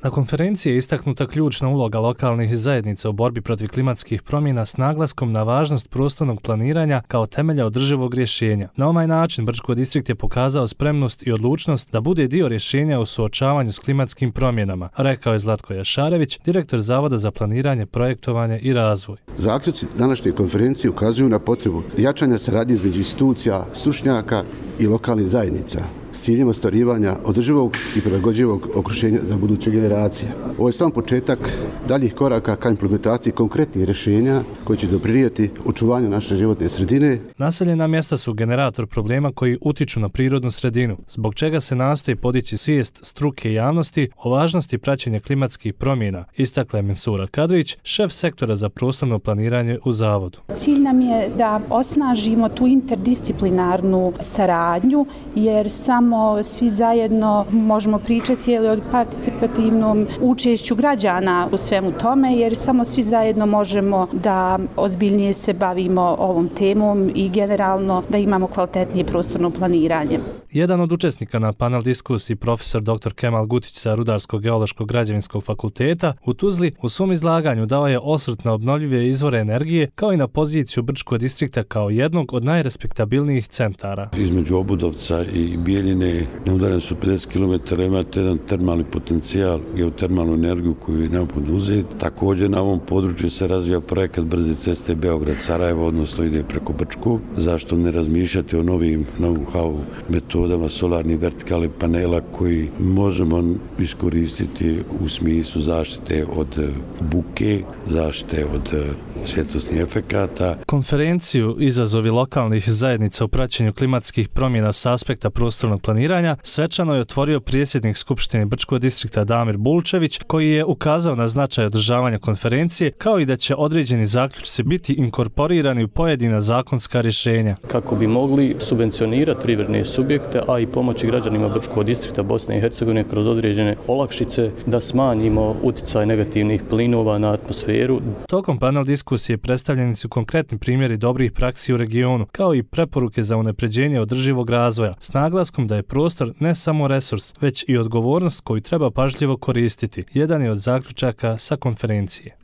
Na konferenciji je istaknuta ključna uloga lokalnih zajednica u borbi protiv klimatskih promjena s naglaskom na važnost prostornog planiranja kao temelja održivog rješenja. Na ovaj način Brčko distrikt je pokazao spremnost i odlučnost da bude dio rješenja u suočavanju s klimatskim promjenama, rekao je Zlatko Jašarević, direktor Zavoda za planiranje, projektovanje i razvoj. Zaključci današnje konferencije ukazuju na potrebu jačanja saradnje između institucija, stručnjaka i lokalnih zajednica s ciljem ostvarivanja održivog i prilagođivog okruženja za buduće generacije. Ovo je samo početak daljih koraka ka implementaciji konkretnih rješenja koji će doprinijeti očuvanju naše životne sredine. Naseljena mjesta su generator problema koji utiču na prirodnu sredinu, zbog čega se nastoji podići svijest struke i javnosti o važnosti praćenja klimatskih promjena, istakla je Mensura Kadrić, šef sektora za prostorno planiranje u Zavodu. Cilj nam je da osnažimo tu interdisciplinarnu saradnju, jer samo svi zajedno možemo pričati o participativnom učešću građana u svemu tome, jer samo svi zajedno možemo da ozbiljnije se bavimo ovom temom i generalno da imamo kvalitetnije prostorno planiranje. Jedan od učesnika na panel diskusiji, profesor dr. Kemal Gutić sa Rudarsko-geološkog građevinskog fakulteta u Tuzli, u svom izlaganju dao je osvrt na obnovljive izvore energije kao i na poziciju Brčkog distrikta kao jednog od najrespektabilnijih centara. Između Obudovca i Bijeljine na udaljenosti su 50 km imate jedan termalni potencijal, geotermalnu energiju koju je neophodno uzeti. Također na ovom području se razvija projekat brze ceste Beograd-Sarajevo, odnosno ide preko Brčkog. Zašto ne razmišljati o novim know-how metodama solarnih vertikalnih panela koji možemo iskoristiti u smislu zaštite od buke, zaštite od svjetlosnih efekata. Konferenciju Izazovi lokalnih zajednica u praćenju klimatskih promjena s aspekta prostornog planiranja svečano je otvorio predsjednik Skupštine Brčkog distrikta Damir Bulčević, koji je ukazao na značaj održavanja konferencije, kao i da će određeni zaključci biti inkorporirani u pojedina zakonska rješenja. Kako bi mogli subvencionirati privredne subjekte, a i pomoći građanima Brčkog distrikta Bosne i Hercegovine kroz određene olakšice da smanjimo utjecaj negativnih plinova na atmosferu. Tokom panel diskusije predstavljeni su konkretni primjeri dobrih praksi u regionu, kao i preporuke za unapređenje održivog razvoja, s naglaskom da je prostor ne samo resurs, već i odgovornost koju treba pažljivo koristiti. Jedan je od zaključaka sa konferencije.